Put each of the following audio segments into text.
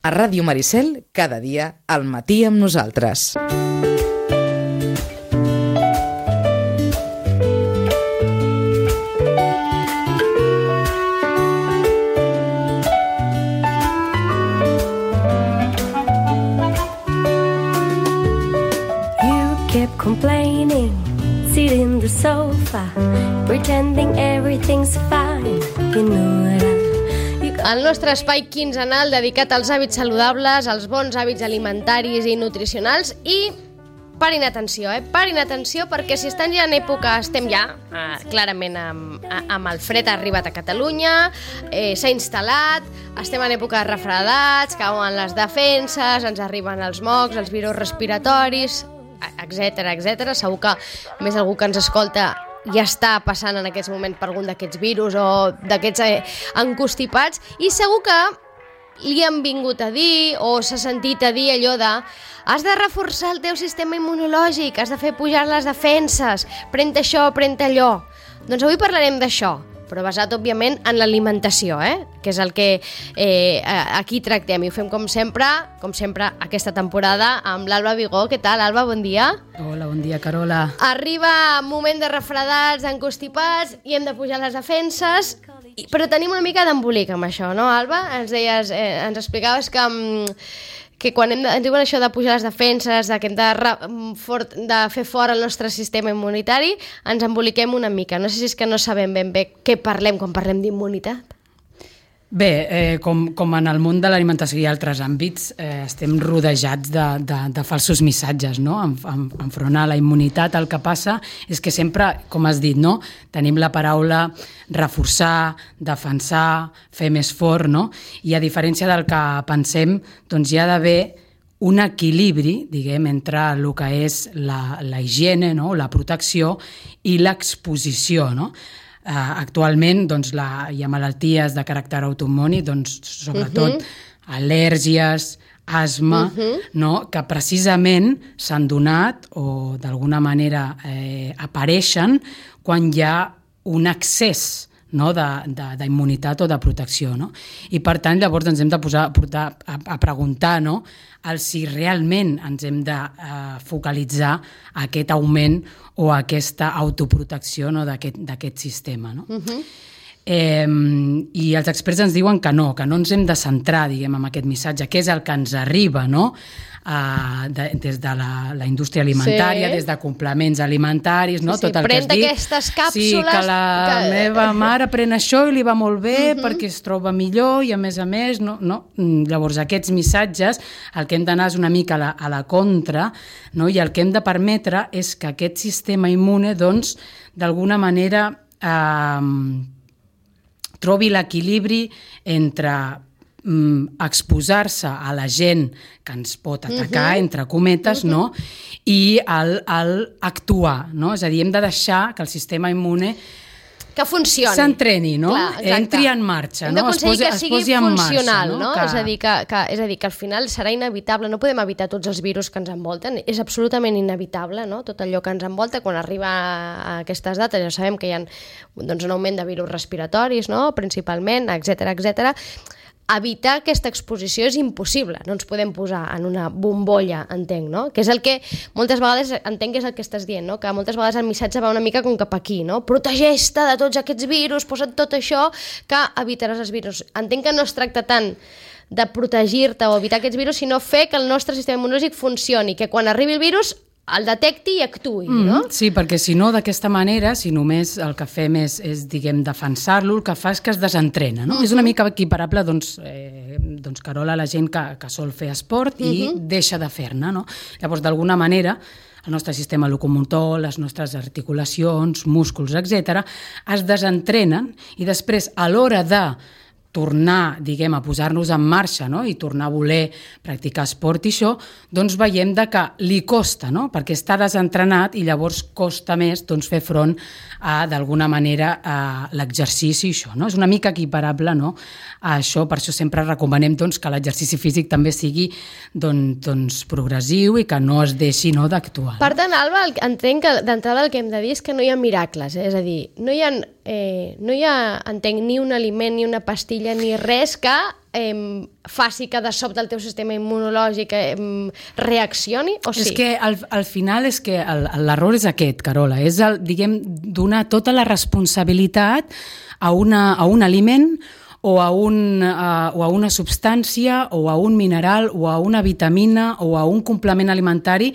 A Ràdio Maricel, cada dia, al matí amb nosaltres. Complaining, sit in the sofa, pretending everything's fine. You know El nostre espai quinzenal dedicat als hàbits saludables, als bons hàbits alimentaris i nutricionals i parin atenció, parin atenció perquè si estan ja en època, estem ja clarament amb el fred ha arribat a Catalunya, s'ha instal·lat, estem en època de refredats, cauen les defenses, ens arriben els mocs, els virus respiratoris, etcètera. Segur que més algú que ens escolta ja està passant en aquests moments per algun d'aquests virus o d'aquests encostipats i segur que li han vingut a dir o s'ha sentit a dir allò de has de reforçar el teu sistema immunològic, has de fer pujar les defenses, pren això, pren allò. Doncs avui parlarem d'això, però basat, òbviament, en l'alimentació, que és el que aquí tractem. I ho fem, com sempre, aquesta temporada, amb l'Alba Vigó. Què tal, Alba? Bon dia. Hola, bon dia, Carola. Arriba moment de refredats, d'encostipats, i hem de pujar les defenses, però tenim una mica d'embolic amb això, no, Alba? Ens deies, ens explicaves que quan ens diuen això de pujar les defenses, que hem de fer fora el nostre sistema immunitari, ens emboliquem una mica. No sé si és que no sabem ben bé què parlem quan parlem d'immunitat. Bé, com en el món de l'alimentació i altres àmbits, estem rodejats de falsos missatges, no? Enfront a la immunitat, el que passa és que sempre, com has dit, no? Tenim la paraula reforçar, defensar, fer més fort, no? I a diferència del que pensem, doncs hi ha d'haver un equilibri, diguem, entre el que és la higiene, no? La protecció i l'exposició, no? Actualment doncs, hi ha malalties de caràcter autoimmuni, doncs, sobretot al·lèrgies, asma, no? Que precisament s'han donat o d'alguna manera apareixen quan hi ha un excés, no? d'immunitat o de protecció. No? I per tant, llavors ens hem de portar a preguntar, no? Si realment ens hem de focalitzar aquest augment o aquesta autoprotecció, no? d'aquest sistema. No? I els experts ens diuen que no ens hem de centrar, diguem, en aquest missatge, que és el que ens arriba, no? Des de la indústria alimentària, des de complements alimentaris, no? Tot el que has dit. Aquestes càpsules... Sí, que la meva mare pren això i li va molt bé perquè es troba millor i a més, no? Llavors aquests missatges, el que hem d'anar és una mica a la contra, no? I el que hem de permetre és que aquest sistema immune, doncs, d'alguna manera trobi l'equilibri entre exposar-se a la gent que ens pot atacar, entre cometes, no? I actuar, no? És a dir, hem de deixar que el sistema immune que funcioni. S'entreni, no? Entri en marxa, no? Hem d'aconseguir que sigui funcional, no? Que... És a dir, que al final serà inevitable, no podem evitar tots els virus que ens envolten, és absolutament inevitable, no? Tot allò que ens envolta, quan arriba a aquestes dates ja sabem que hi ha doncs, un augment de virus respiratoris, no? Principalment, etcètera. Evitar aquesta exposició és impossible, no ens podem posar en una bombolla, entenc, no? Que és el que moltes vegades, entenc que és el que estàs dient, no? Que moltes vegades el missatge va una mica com cap aquí, no? Protegeix-te de tots aquests virus, posa't tot això, que evitaràs els virus. Entenc que no es tracta tant de protegir-te o evitar aquests virus, sinó fer que el nostre sistema immunològic funcioni, que quan arribi el virus el detecti i actuï, no? Sí, perquè si no, d'aquesta manera, si només el que fem és diguem, defensar-lo, el que fa és que es desentrena, no? És una mica equiparable, doncs, Carola, la gent que sol fer esport i deixa de fer-ne, no? Llavors, d'alguna manera, el nostre sistema locomotor, les nostres articulacions, músculs, etc., es desentrenen i després, a l'hora de tornar, diguem, a posar-nos en marxa, no? I tornar a voler practicar esport i això, doncs veiem que li costa, no? Perquè està desentrenat i llavors costa més doncs, fer front a, d'alguna manera, a l'exercici i això, no? És una mica equiparable, no? A això, per això sempre recomanem doncs, que l'exercici físic també sigui doncs, progressiu i que no es deixi, no, d'actuar. Per tant, Alba, entenc que d'entrada el que hem de dir és que no hi ha miracles, és a dir, no hi ha, entenc, ni un aliment ni una pastilla papilla ni res que faci que de sobte el teu sistema immunològic reaccioni, o sí? És que al final és que l'error és aquest, Carola, és donar tota la responsabilitat a un aliment o a una substància o a un mineral o a una vitamina o a un complement alimentari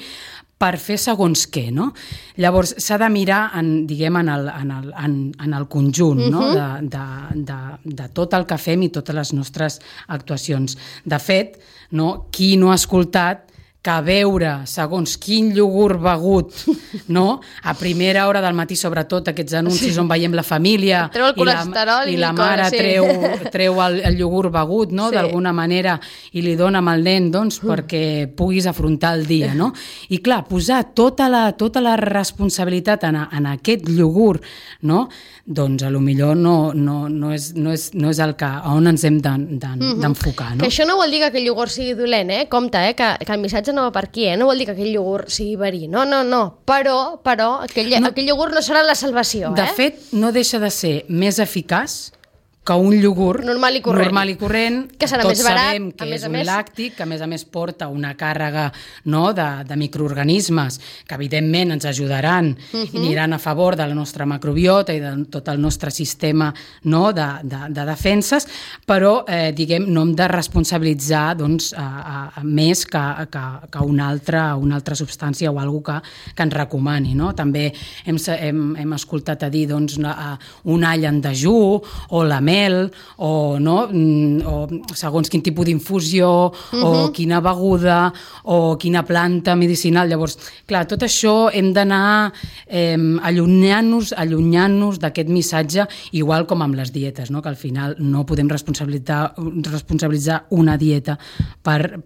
per fer segons què, no? Llavors, s'ha de mirar en el conjunt, no? de tot el que fem i totes les nostres actuacions. De fet, no? Qui no ha escoltat que beure segons quin iogurt begut, no? A primera hora del matí, sobretot, aquests anuncis on veiem la família treu el colesterol i la mare treu el iogurt begut, no? D'alguna manera, i li dona amb el nen perquè puguis afrontar el dia, no? I clar, posar tota la responsabilitat en aquest iogurt, no? Doncs potser no és el que on ens hem d'enfocar, no? Que això no vol dir que aquell iogurt sigui dolent, compte, que el missatge no va per aquí, no vol dir que aquell iogurt sigui verí, no, però aquell iogurt no serà la salvació. De fet, no deixa de ser més eficaç que un iogurt normal i corrent, que serà tots més barat, sabem que és un làctic, que a més porta una càrrega, no, de microorganismes que evidentment ens ajudaran i aniran a favor de la nostra macrobiota i de tot el nostre sistema, no, de defenses, però no hem de responsabilitzar més que una altra substància o alguna que ens recomani, no? També hem escoltat a dir un all en dejú o la mel, o segons quin tipus d'infusió, o quina beguda, o quina planta medicinal. Llavors, clar, tot això hem d'anar allunyant-nos d'aquest missatge, igual com amb les dietes, no? Que al final no podem responsabilitzar una dieta per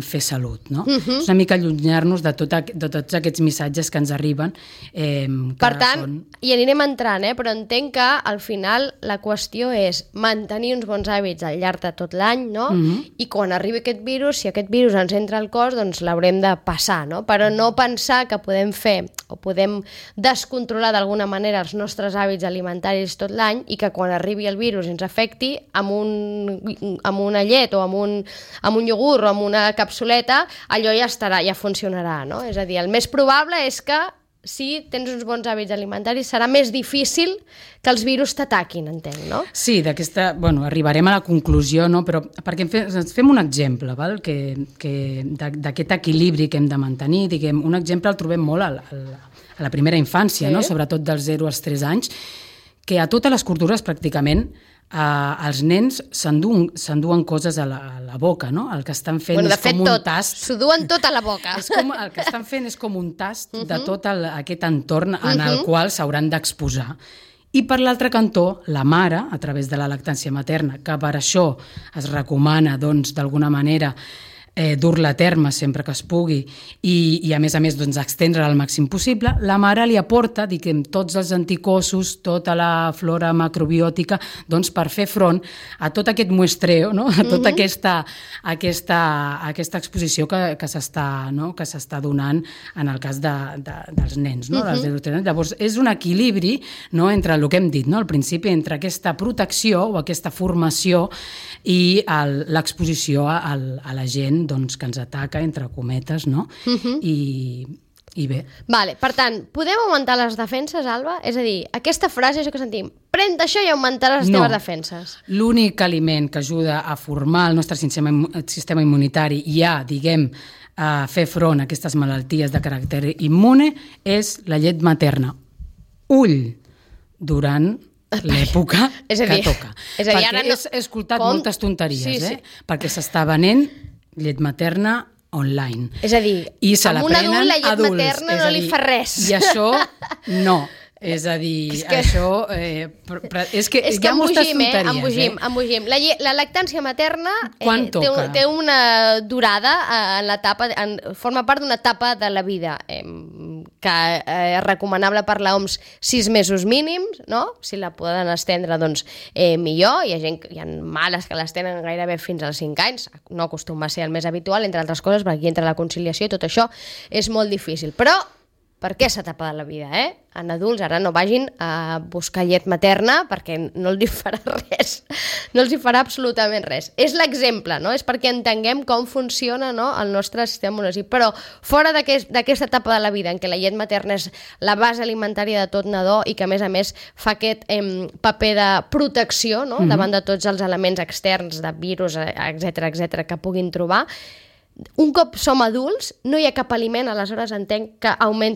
fer salut, no? És una mica allunyar-nos de tots aquests missatges que ens arriben. Per tant, hi anirem entrant, però entenc que al final la qüestió és mantenir uns bons hàbits al llarg de tot l'any, no? I quan arribi aquest virus, si aquest virus ens entra al cos, doncs l'haurem de passar, no? Però no pensar que podem fer o podem descontrolar d'alguna manera els nostres hàbits alimentaris tot l'any i que quan arribi el virus ens afecti amb una llet o amb un iogurt o amb una capsuleta, allò ja funcionarà, no? És a dir, el més probable és que si tens uns bons hàbits alimentaris serà més difícil que els virus t'ataquin, entenc, no? Sí, arribarem a la conclusió, no? Però perquè ens fem un exemple, val? D'aquest equilibri que hem de mantenir, un exemple el trobem molt a la primera infància, no? Sobretot dels 0 als 3 anys, que a totes les cultures pràcticament els nens s'enduen coses a la boca, no? El que estan fent és com un tast. S'ho duen tot a la boca. El que estan fent és com un tast de tot aquest entorn en el qual s'hauran d'exposar. I per l'altre cantó, la mare, a través de la lactància materna, que per això es recomana, d'alguna manera, dur-la a terme sempre que es pugui i a més, extendre al màxim possible, la mare li aporta, tots els anticossos, tota la flora macrobiòtica, per fer front a tot aquest muestreo, no? A tota aquesta exposició que s'està donant en el cas dels nens, no? Llavors, és un equilibri, no? Entre el que hem dit, no? Al principi, entre aquesta protecció o aquesta formació i l'exposició a la gent que ens ataca, entre cometes, no? I bé. Vale, per tant, podem augmentar les defenses, Alba? És a dir, aquesta frase, això que sentim, pren-te això i augmentaràs les teves defenses. L'únic aliment que ajuda a formar el nostre sistema immunitari i a fer front a aquestes malalties de caràcter immune és la llet materna. Ull durant l'època que toca. És a dir, ara he escoltat moltes tonteries, perquè s'està venent llet materna online. És a dir, amb un adult la llet materna no li fa res. I això no. És a dir, això... És que hi ha moltes tonteries. Embogim. La lactància materna té una durada en l'etapa, forma part d'una etapa de la vida que és recomanable per l'OMS 6 mesos mínims, no? Si la poden estendre, doncs millor. Hi ha mares que les tenen gairebé fins als 5 anys. No acostuma a ser el més habitual, entre altres coses, perquè aquí entra la conciliació i tot això és molt difícil. Però per aquesta etapa de la vida, En adults ara no vagin a buscar llet materna perquè no els hi farà res, no els hi farà absolutament res. És l'exemple, no? És perquè entenguem com funciona, no?, el nostre sistema immunològic. Però fora d'aquesta etapa de la vida en què la llet materna és la base alimentària de tot nadó i que a més fa aquest paper de protecció, no?, davant de tots els elements externs, de virus, etc que puguin trobar, un cop som adults, no hi ha cap aliment, aleshores entenc que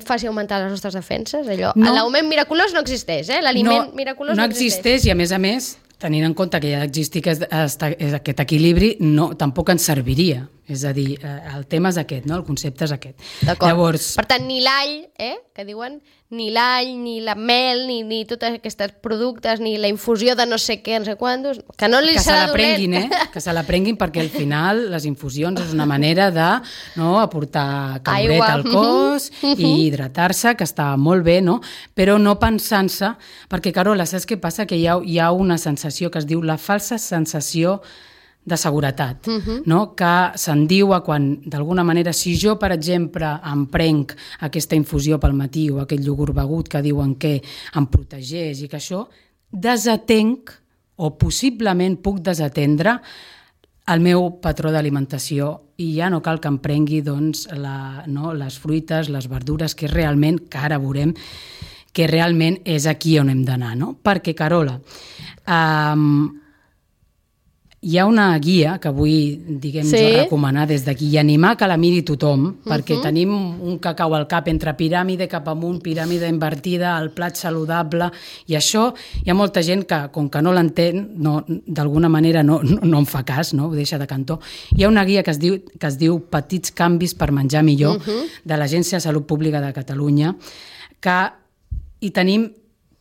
faci augmentar les nostres defenses. L'augment miraculós no existeix, l'aliment miraculós no existeix. I a més, tenint en compte que ja existeix aquest equilibri, tampoc ens serviria. És a dir, el tema és aquest, no? El concepte és aquest. D'acord. Llavors... Per tant, ni l'all, que diuen, ni l'all, ni la mel, ni tots aquests productes, ni la infusió de no sé què, no sé quantos, que no li serà dolent. Que se l'aprenguin, perquè al final les infusions és una manera de aportar caloret al cos i hidratar-se, que està molt bé, no? Però no pensant-se, perquè, Carola, saps què passa? Que hi ha una sensació que es diu la falsa sensació de seguretat, no? Que se'n diu quan, d'alguna manera, si jo, per exemple, em prenc aquesta infusió pel matí o aquest iogurt begut que diuen que em protegeix i que això, desatenc o possiblement puc desatendre el meu patró d'alimentació i ja no cal que em prengui les fruites, les verdures, que realment, que ara veurem, que realment és aquí on hem d'anar, no? Perquè, Carola, hi ha una guia que vull, recomanar des d'aquí i animar que la miri tothom, perquè tenim un cacau al cap entre piràmide cap amunt, piràmide invertida, el plat saludable, i això hi ha molta gent que, com que no l'entén, d'alguna manera no en fa cas, no? Ho deixa de cantó. Hi ha una guia que es diu Petits canvis per menjar millor, de l'Agència de Salut Pública de Catalunya, que hi tenim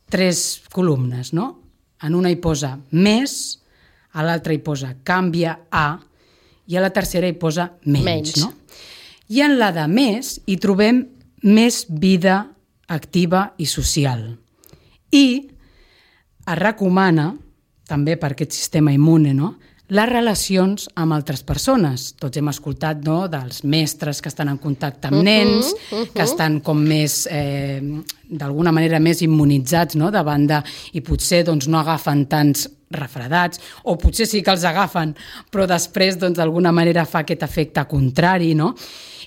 3 columnes, no? En una hi posa més, a l'altra hi posa canvia a, i a la tercera hi posa menys. No? I en la de més hi trobem més vida activa i social. I es recomana, també per aquest sistema immune, les relacions amb altres persones. Tots hem escoltat dels mestres que estan en contacte amb nens, que estan com més, d'alguna manera, més immunitzats davant de... I potser no agafen tants refredats, o potser sí que els agafen, però després d'alguna manera fa aquest efecte contrari, no?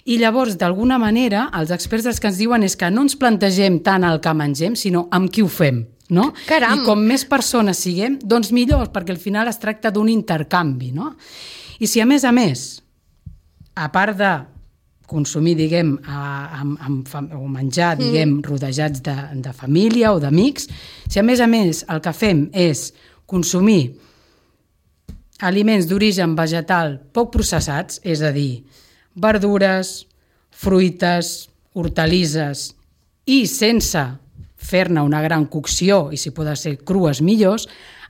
I llavors, d'alguna manera, els experts els que ens diuen és que no ens plantegem tant el que mengem, sinó amb qui ho fem. No? Caram. I com més persones siguem, doncs millor, perquè al final es tracta d'un intercanvi, no? I si a més, a part de consumir, diguem, o menjar, diguem, rodejats de família o d'amics, si a més el que fem és consumir aliments d'origen vegetal poc processats, és a dir, verdures, fruites, hortalisses, i sense fer-ne una gran cocció, i si poden ser crues millors,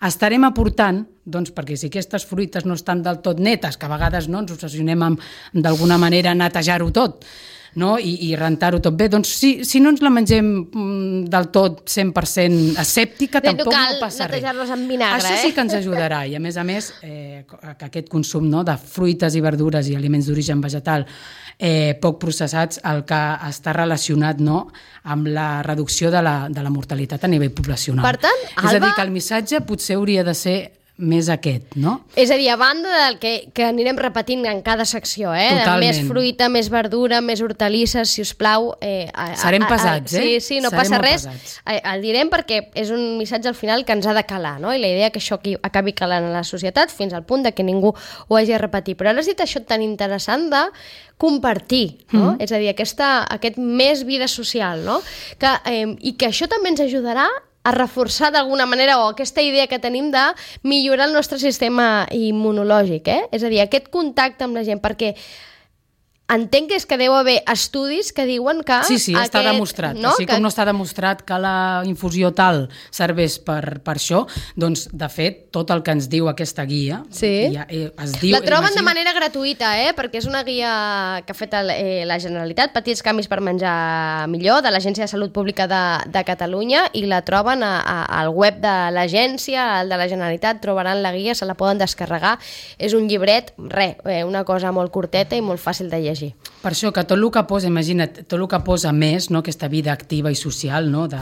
estarem aportant, perquè si aquestes fruites no estan del tot netes, que a vegades ens obsessionem amb d'alguna manera netejar-ho tot, i rentar-ho tot bé, doncs si no ens la mengem del tot 100% asèptica, tampoc no passa res. Netejar-los amb vinagre, Això sí que ens ajudarà, i a més, que aquest consum de fruites i verdures i aliments d'origen vegetal poc processats, el que està relacionat amb la reducció de la mortalitat a nivell poblacional. Per tant, Alba... És a dir, que el missatge potser hauria de ser més aquest, no? És a dir, a banda del que anirem repetint en cada secció, Totalment. Més fruita, més verdura, més hortalisses, si us plau. Serem pesats, Sí, no passa res. El direm perquè és un missatge al final que ens ha de calar, no? I la idea que això acabi calant a la societat fins al punt de que ningú ho hagi de repetir. Però ara has dit això tan interessant de compartir, no? És a dir, aquest més vida social, no? I que això també ens ajudarà a reforçar d'alguna manera, o aquesta idea que tenim de millorar el nostre sistema immunològic, És a dir, aquest contacte amb la gent, perquè entenc que és que deu haver estudis que diuen que... Sí, està demostrat. No? Així com no està demostrat que la infusió tal serveix per això, doncs, de fet, tot el que ens diu aquesta guia... Sí. Es diu, la troben de manera gratuïta, perquè és una guia que ha fet la Generalitat, Petits canvis per menjar millor, de l'Agència de Salut Pública de Catalunya, i la troben al web de l'agència, al de la Generalitat, trobaran la guia, se la poden descarregar. És un llibret, una cosa molt curteta i molt fàcil de llegir. vagi. Per això que tot el que posa, imagina't, tot el que posa més, no, aquesta vida activa i social, no, de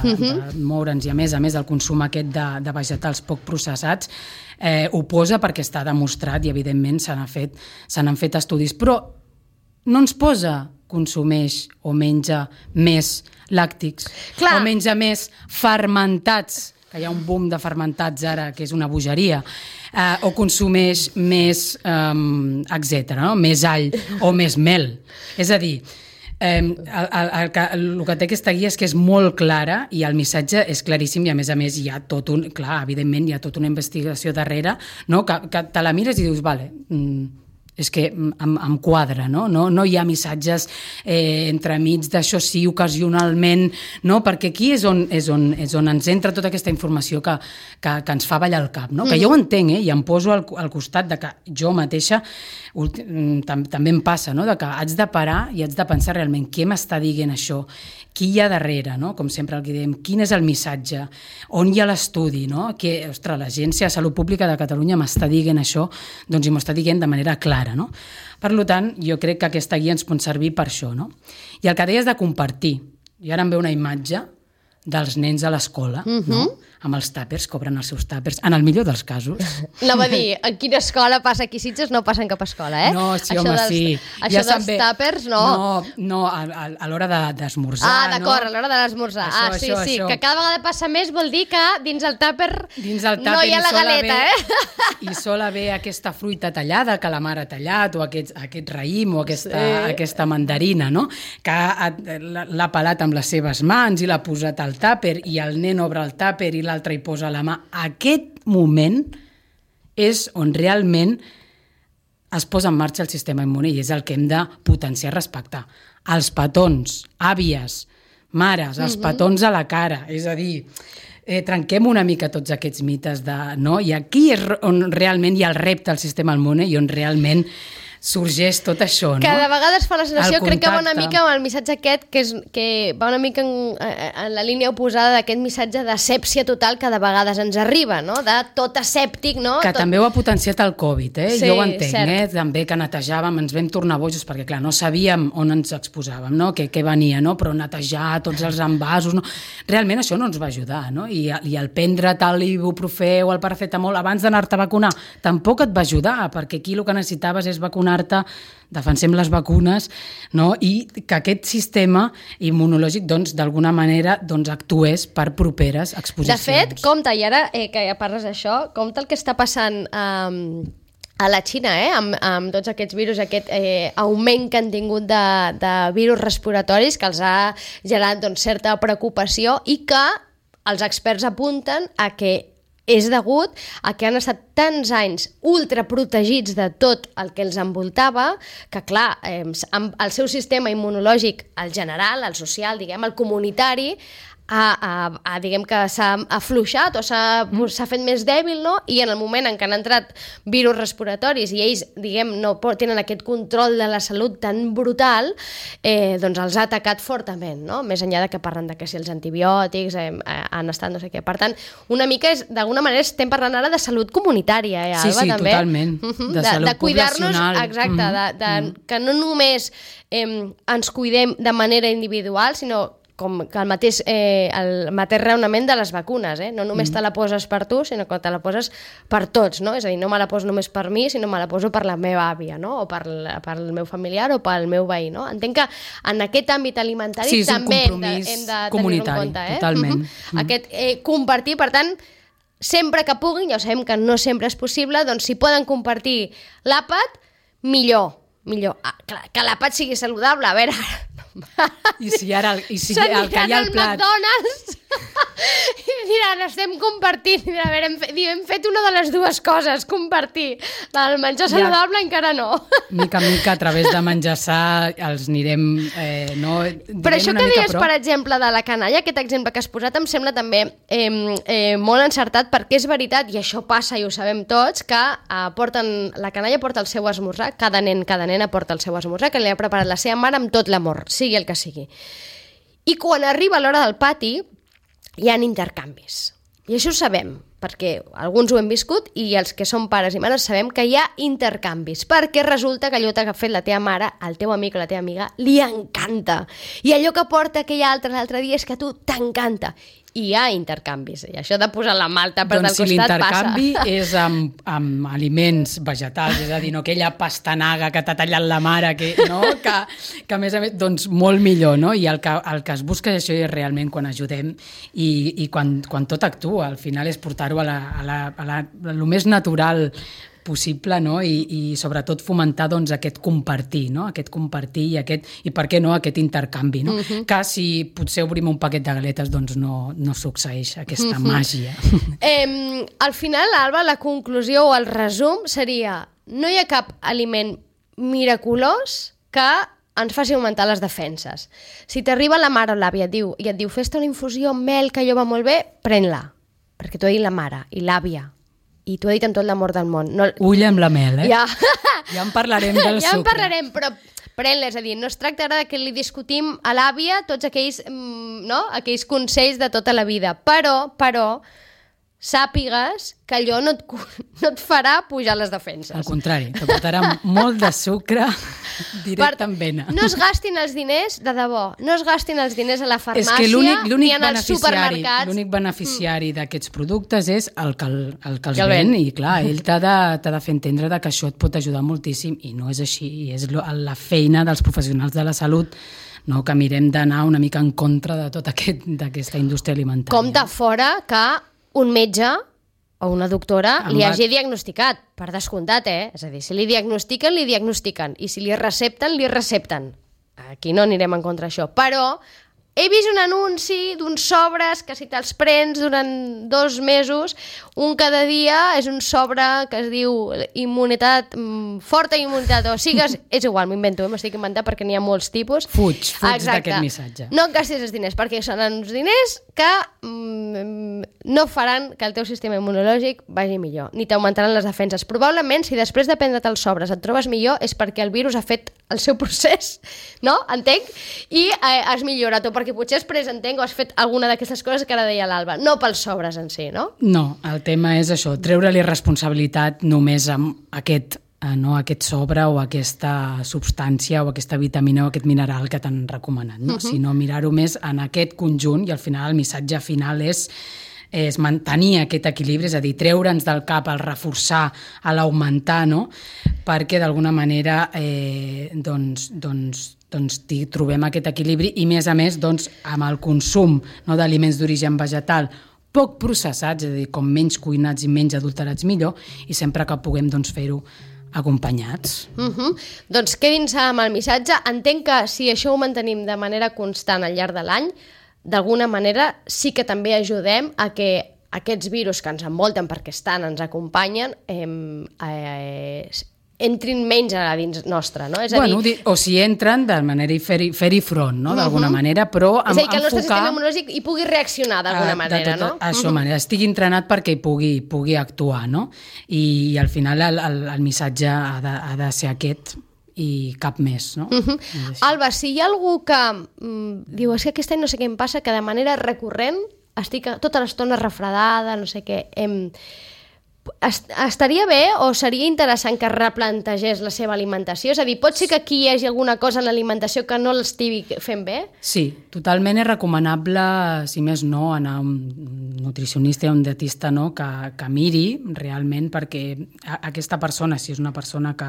moure'ns, i a més el consum aquest de vegetals poc processats, ho posa perquè està demostrat i evidentment se n'han fet estudis, però no ens posa consumeix o menja més làctics, o menja més fermentats, que hi ha un boom de fermentats ara, que és una bogeria, o consumeix més, etc., no? Més all o més mel. És a dir, el que té aquesta guia és que és molt clara i el missatge és claríssim i a més hi ha tot un... Clar, evidentment hi ha tota una investigació darrere, no? Que te la mires i dius, vale, és que em quadra, no? No hi ha missatges entremig d'això sí, ocasionalment, no? Perquè aquí és on ens entra tota aquesta informació que ens fa ballar el cap, no? Que jo ho entenc, i em poso al costat de que jo mateixa també em passa, no? De que haig de parar i haig de pensar realment què m'està dient això, qui hi ha darrere, no? Com sempre el que diem, quin és el missatge, on hi ha l'estudi, no? Que, ostres, l'Agència de Salut Pública de Catalunya m'està dient això, doncs i m'ho està dient de manera clara, no? Per tant, jo crec que aquesta guia ens pot servir per això, no? I el que deies de compartir, i ara em ve una imatge dels nens a l'escola, no? Amb els tàpers, cobren els seus tàpers, en el millor dels casos. Anava a dir, en quina escola passa aquí Sitges? No passa en cap escola, No, sí, home, sí. Això dels tàpers, no. No, a l'hora d'esmorzar. Ah, d'acord, a l'hora de l'esmorzar. Sí, que cada vegada passa més vol dir que dins el tàper no hi ha la galeta, I sol haver aquesta fruita tallada que la mare ha tallat, o aquest raïm, o aquesta mandarina, no? Que l'ha pelat amb les seves mans i l'ha posat al tàper, i el nen obre el tàper i l'altre hi posa la mà. Aquest moment és on realment es posa en marxa el sistema immune i és el que hem de potenciar i respectar. Els petons, àvies, mares, els petons a la cara, és a dir, trenquem una mica tots aquests mites no? I aquí és on realment hi ha el repte al sistema immune i on realment sorgeix tot això, no? Que de vegades fa la sensació, crec que va una mica amb el missatge aquest, que va una mica en la línia oposada d'aquest missatge d'asèpsia total que de vegades ens arriba, no? De tot asèptic, no? Que també ho ha potenciat el Covid, Sí, jo ho entenc, també que netejàvem, ens vam tornar bojos, perquè clar, no sabíem on ens exposàvem, no? Què venia, no? Però netejar tots els envasos, no? Realment això no ens va ajudar, no? I el prendre tal ibuprofè o el paracetamol abans d'anar-te a vacunar tampoc et va ajudar, perquè aquí el que necessitaves és vacunar-te, defensem les vacunes, no? I que aquest sistema immunològic d'alguna manera actués per properes exposicions. De fet, compte, i ara que ja parles d'això, compte el que està passant a la Xina, amb tots aquests virus, aquest augment que han tingut de virus respiratoris que els ha generat certa preocupació i que els experts apunten a que és degut a que han estat tants anys ultraprotegits de tot el que els envoltava que, clar, el seu sistema immunològic, el general, el social, diguem, el comunitari, diguem que s'ha afluixat o s'ha fet més dèbil, no? I en el moment en què han entrat virus respiratoris i ells, diguem, no tenen aquest control de la salut tan brutal, doncs els ha atacat fortament, no? Més enllà de que parlen de que si els antibiòtics han estat no sé què. Per tant, una mica d'alguna manera estem parlant ara de salut comunitària, Alba, sí, també. Totalment. De salut poblacional. Exacte, que no només ens cuidem de manera individual, sinó com que el mateix raonament de les vacunes, no només te la poses per tu, sinó que te la poses per tots, no? És a dir, no me la poso només per mi, sinó me la poso per la meva àvia, no? O per el meu familiar o pel meu veí, no? Entenc que en aquest àmbit alimentari també hem de tenir-ho en compte. Totalment. Aquest compartir, per tant, sempre que puguin, ja ho sabem que no sempre és possible, doncs si poden compartir l'àpat, millor. Que l'àpat sigui saludable, a veure... I si ara el que hi ha al plat... McDonald's i diran, estem compartint. A veure, hem fet una de les dues coses, compartir. El menjar saludable encara no. Mica en mica, a través de menjar-se, els anirem... Però això que deies, per exemple, de la canalla, aquest exemple que has posat, em sembla també molt encertat, perquè és veritat, i això passa i ho sabem tots, que la canalla porta el seu esmorzar, cada nena porta el seu esmorzar, que li ha preparat la seva mare amb tot l'amor, sigui el que sigui. I quan arriba l'hora del pati, hi ha intercanvis. I això ho sabem, perquè alguns ho hem viscut i els que som pares i mares sabem que hi ha intercanvis, perquè resulta que allò que ha fet la teva mare, al teu amic o la teva amiga, li encanta. I allò que porta aquell altre l'altre dia és que a tu t'encanta. I hi ha intercanvis, i això de posar la malta per del costat passa. Doncs si l'intercanvi és amb aliments vegetals, és a dir, no aquella pastanaga que t'ha tallat la mare, que a més, doncs molt millor, no? I el que es busca això és realment quan ajudem i quan tot actua, al final és portar-ho a lo més natural possible, no? I sobretot fomentar doncs, aquest compartir, no? Aquest compartir i per què no aquest intercanvi, no? Que si potser obrim un paquet de galetes doncs no succeeix aquesta màgia. Al final, Alba, la conclusió o el resum seria: no hi ha cap aliment miraculós que ens faci augmentar les defenses. Si t'arriba la mare o l'àvia i et diu fes-te una infusió amb mel que allò va molt bé, pren-la, perquè t'ho ha dit la mare i l'àvia. I t'ho ha dit amb tot l'amor del món. Ull amb la mel, eh? Ja en parlarem del sucre. Ja en parlarem, però pren-la, és a dir, no es tracta ara que li discutim a l'àvia tots aquells consells de tota la vida, però sàpigues que allò no et farà pujar les defenses. Al contrari, te portarà molt de sucre directe en vena. No es gastin els diners, de debò, no es gastin els diners a la farmàcia ni en els supermercats. L'únic beneficiari d'aquests productes és el que els ven, i clar, ell t'ha de fer entendre que això et pot ajudar moltíssim, i no és així, és la feina dels professionals de la salut, no, que mirem d'anar una mica en contra de tota aquesta indústria alimentària. Compte fora que un metge o una doctora li hagi diagnosticat, per descomptat, És a dir, si li diagnostiquen, li diagnostiquen, i si li recepten, li recepten. Aquí no anirem en contra d'això, però he vist un anunci d'uns sobres que si te'ls prens durant 2 mesos, un cada dia és un sobre que es diu immunitat, forta immunitat, o sigues, és igual, m'invento, m'estic inventant perquè n'hi ha molts tipus. Fuig d'aquest missatge. No et gastis els diners, perquè són uns diners que no faran que el teu sistema immunològic vagi millor, ni t'augmentaran les defenses. Probablement, si després de prendre't els sobres et trobes millor, és perquè el virus ha fet el seu procés, no? Entenc? I has millorat, o perquè potser has pres, o has fet alguna d'aquestes coses que ara deia l'Alba, no pels sobres en si, no? No, el tema és això, treure-li responsabilitat només amb aquest sobre o aquesta substància o aquesta vitamina o aquest mineral que t'han recomanat, no? Sinó mirar-ho més en aquest conjunt, i al final el missatge final és mantenir aquest equilibri, és a dir, treure'ns del cap el reforçar, l'augmentar, no? Perquè d'alguna manera trobem aquest equilibri, i més a més amb el consum d'aliments d'origen vegetal poc processats, és a dir, com menys cuinats i menys adulterats millor, i sempre que puguem fer-ho acompanyats. Doncs quedin-se amb el missatge. Entenc que si això ho mantenim de manera constant al llarg de l'any, d'alguna manera sí que també ajudem a que aquests virus que ens envolten perquè ens acompanyen, entrin menys a dins nostra, no? És a dir, o si entren, de manera fer-hi front, no? D'alguna manera, però és a dir, que el nostre sistema immunològic hi pugui reaccionar d'alguna manera, no? Això, estigui entrenat perquè hi pugui actuar, no? I al final el missatge ha de ser aquest, i cap més, no? Alba, si hi ha algú que diu, és que aquest any no sé què em passa, que de manera recurrent estic tota l'estona refredada, no sé què, estaria bé o seria interessant que replantegés la seva alimentació? És a dir, pot ser que aquí hi hagi alguna cosa en l'alimentació que no l'estigui fent bé? Sí, totalment és recomanable, si més no, anar a un nutricionista i a un dietista, no? Que miri realment, perquè aquesta persona, si és una persona que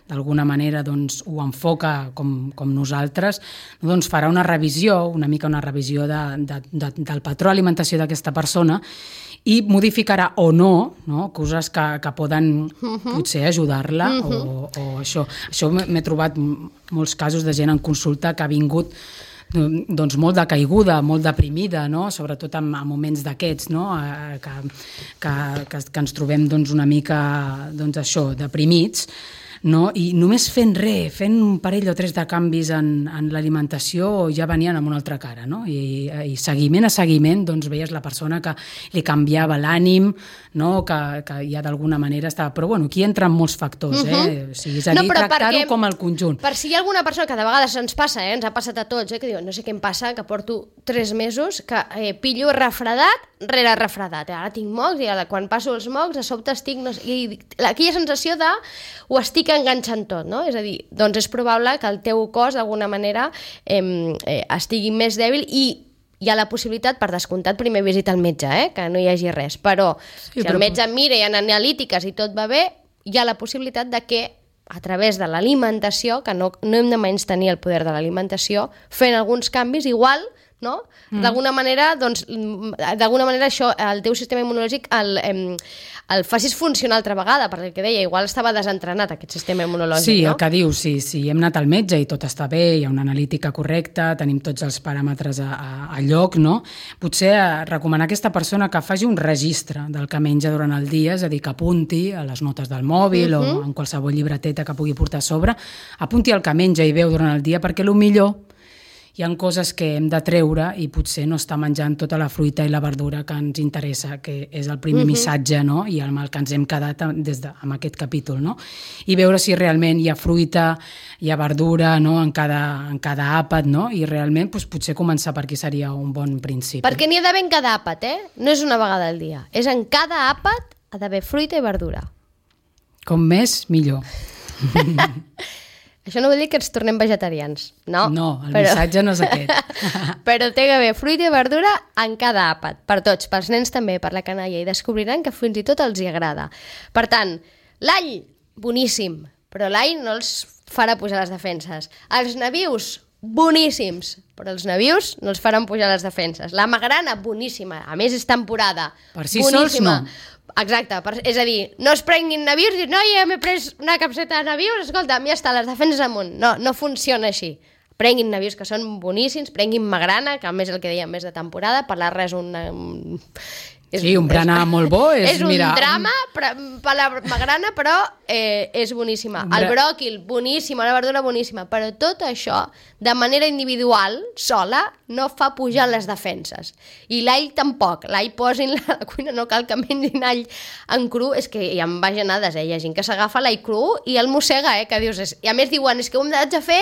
d'alguna manera ho enfoca com nosaltres, farà una revisió, una mica una revisió del patró d'alimentació d'aquesta persona, i modificarà o no, coses que poden potser ajudar-la o això. Això m'he trobat molts casos de gent en consulta que ha vingut molt decaiguda, molt deprimida, no? Sobretot en moments d'aquests, no? que ens trobem una mica deprimits, no? I només fent un parell o 3 de canvis en l'alimentació ja venien amb una altra cara, no? I seguiment a seguiment veies la persona que li canviava l'ànim, no? Que ja d'alguna manera estava... Però bueno, aquí entren molts factors, o sigui, és a dir, tractar-ho com el conjunt. Per si hi ha alguna persona que de vegades ens passa, ens ha passat a tots, que diu, no sé què em passa, que porto 3 mesos que pillo refredat rere refredat. Ara tinc mocs i quan passo els mocs de sobte estic... I aquella sensació de ho estic enganxant tot, no? És a dir, doncs és probable que el teu cos d'alguna manera estigui més dèbil i hi ha la possibilitat, per descomptat, primer visita al metge, que no hi hagi res. Però si el metge mira i hi ha analítiques i tot va bé, hi ha la possibilitat de que a través de l'alimentació, que no hem de menystenir el poder de l'alimentació, fent alguns canvis, igual, no? D'alguna manera, això, el teu sistema immunològic el facis funcionar altra vegada, perquè el que deia, igual estava desentrenat aquest sistema immunològic, sí, no? El que dius, sí, hem anat al metge i tot està bé, hi ha una analítica correcta, tenim tots els paràmetres a lloc, no? Potser recomanar a aquesta persona que faci un registre del que menja durant el dia, és a dir, que apunti a les notes del mòbil o en qualsevol llibreteta que pugui portar a sobre, apunti el que menja i veu durant el dia, perquè millor hi ha coses que hem de treure i potser no està menjant tota la fruita i la verdura que ens interessa, que és el primer missatge, no? I amb el que ens hem quedat amb aquest capítol, no? I veure si realment hi ha fruita, hi ha verdura, no? en cada àpat, no? I realment potser començar per aquí seria un bon principi. Perquè n'hi ha d'haver en cada àpat, No és una vegada al dia. És en cada àpat ha d'haver fruita i verdura. Com més, millor. Això no vol dir que ens tornem vegetarians, no? No, missatge no és aquest. Però té que haver fruita i verdura en cada àpat, per tots, pels nens també, per la canalla, i descobriran que fins i tot els hi agrada. Per tant, l'all, boníssim, però l'all no els farà pujar les defenses. Els nabius, boníssims, però els nabius no els faran pujar les defenses. La magrana, boníssima, a més és temporada. Per si sols no. Exacte, és a dir, no es prenguin nabius i noi, m'he pres una capseta de nabius, escolta, a mi està les defenses amunt. No funciona així. Prenguin nabius que són boníssims, prenguin magrana, que a més el que dèiem més de temporada, per la res un berenar molt bo és un drama per la magrana, però és boníssima. El bròquil, boníssima, la verdura boníssima, però tot això, de manera individual, sola, no fa pujar les defenses. I l'all tampoc. L'all posin a la cuina, no cal que mengin all en cru, és que hi ha bajanades, hi ha gent que s'agafa l'all cru i el mossega, que dius... I a més diuen, és que ho hem de fer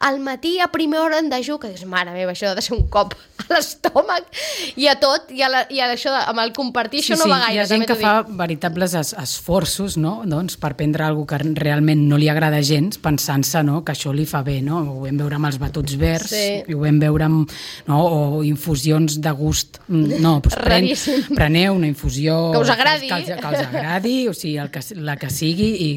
al matí a primera hora en dejú, que dius, mare meva, això ha de ser un cop a l'estómac i a tot, i això amb el compartir, això no va gaire. Hi ha gent que fa veritables esforços, no? Doncs, per prendre alguna cosa que realment no li agrada gens, pensant-se, no? Que això li fa bé, no? Ho vam veure amb els batuts verds, i ho vam veure amb, no? O infusions de gust. No, doncs preneu una infusió que us agradi, que els agradi, o sigui, la que sigui, i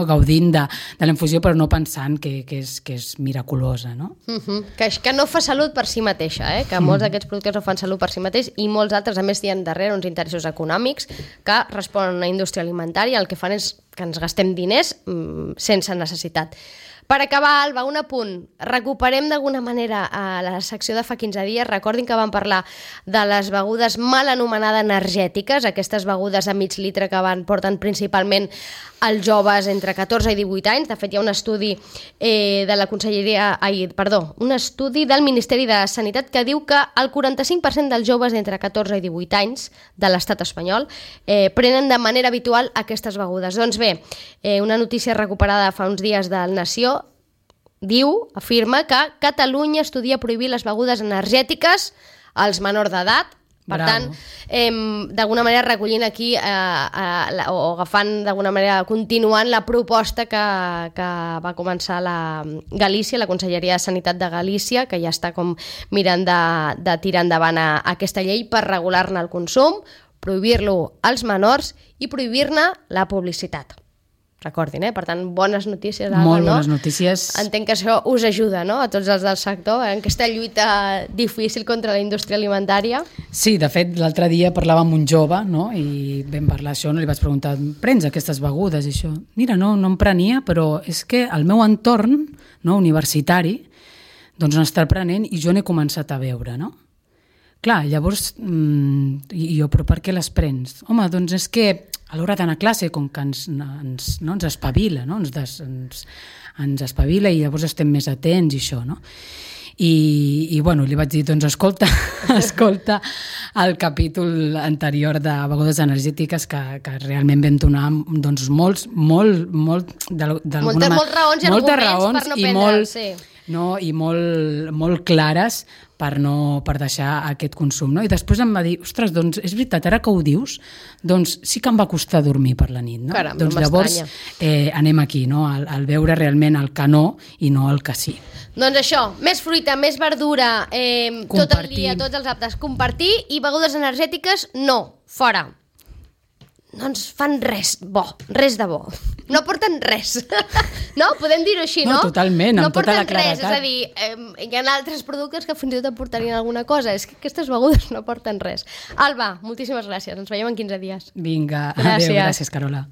gaudint de la infusió, però no pensant que és miraculosa, no? Que no fa salut per si mateixa, que molts d'aquests productes no fan salut per si mateix, i molts altres, a més, hi ha darrere uns interessos econòmics que responen a una indústria alimentària, el que fan és que ens gastem diners sense necessitat. Per acabar, Alba, un apunt. Recuperem d'alguna manera a la secció de fa 15 dies. Recordin que vam parlar de les begudes mal anomenades energètiques, aquestes begudes de mig litre que porten principalment els joves entre 14 i 18 anys. De fet, hi ha un estudi de la Conselleria... un estudi del Ministeri de Sanitat que diu que el 45% dels joves d'entre 14 i 18 anys de l'estat espanyol prenen de manera habitual aquestes begudes. Doncs bé, una notícia recuperada fa uns dies del Nació afirma que Catalunya estudia prohibir les begudes energètiques als menors d'edat. Per tant, d'alguna manera recollint aquí o agafant d'alguna manera, continuant la proposta que va començar la Galícia, la Conselleria de Sanitat de Galícia, que ja està com mirant de tirar endavant aquesta llei per regular-ne el consum, prohibir-lo als menors i prohibir-ne la publicitat. Recordin, per tant, bones notícies. Molt bones notícies. Entenc que això us ajuda, no?, a tots els del sector, en aquesta lluita difícil contra la indústria alimentària. Sí, de fet, l'altre dia parlava amb un jove, no?, i vam parlar això, li vaig preguntar, prens aquestes begudes? I això, mira, no em prenia, però és que el meu entorn, no, universitari, doncs n'està prenent i jo n'he començat a veure, no? Clar, llavors, jo, però per què les prens? Home, doncs és que a l'hora d'anar a classe, com que ens espavila, no? Ens espavila i llavors estem més atents i això, no? I bueno, li vaig dir, doncs escolta el capítol anterior de begudes energètiques que realment vam donar moltes raons i arguments per no prendre-les, sí. no? I molt clares per deixar aquest consum. No? I després em va dir, ostres, doncs és veritat, ara que ho dius, doncs sí que em va costar dormir per la nit. No? Caram, doncs no llavors anem aquí, no? al veure realment el que no i no el que sí. Doncs això, més fruita, més verdura, tot el dia, tots els aptes, compartir, i begudes energètiques, no, fora. No ens fan res de bo. No porten res. No? Podem dir-ho així, no? No, totalment, amb tota la claredat. No porten res, és a dir, hi ha altres productes que fins i tot aportarien alguna cosa. És que aquestes begudes no porten res. Alba, moltíssimes gràcies. Ens veiem en 15 dies. Vinga, adéu, gràcies, Carola.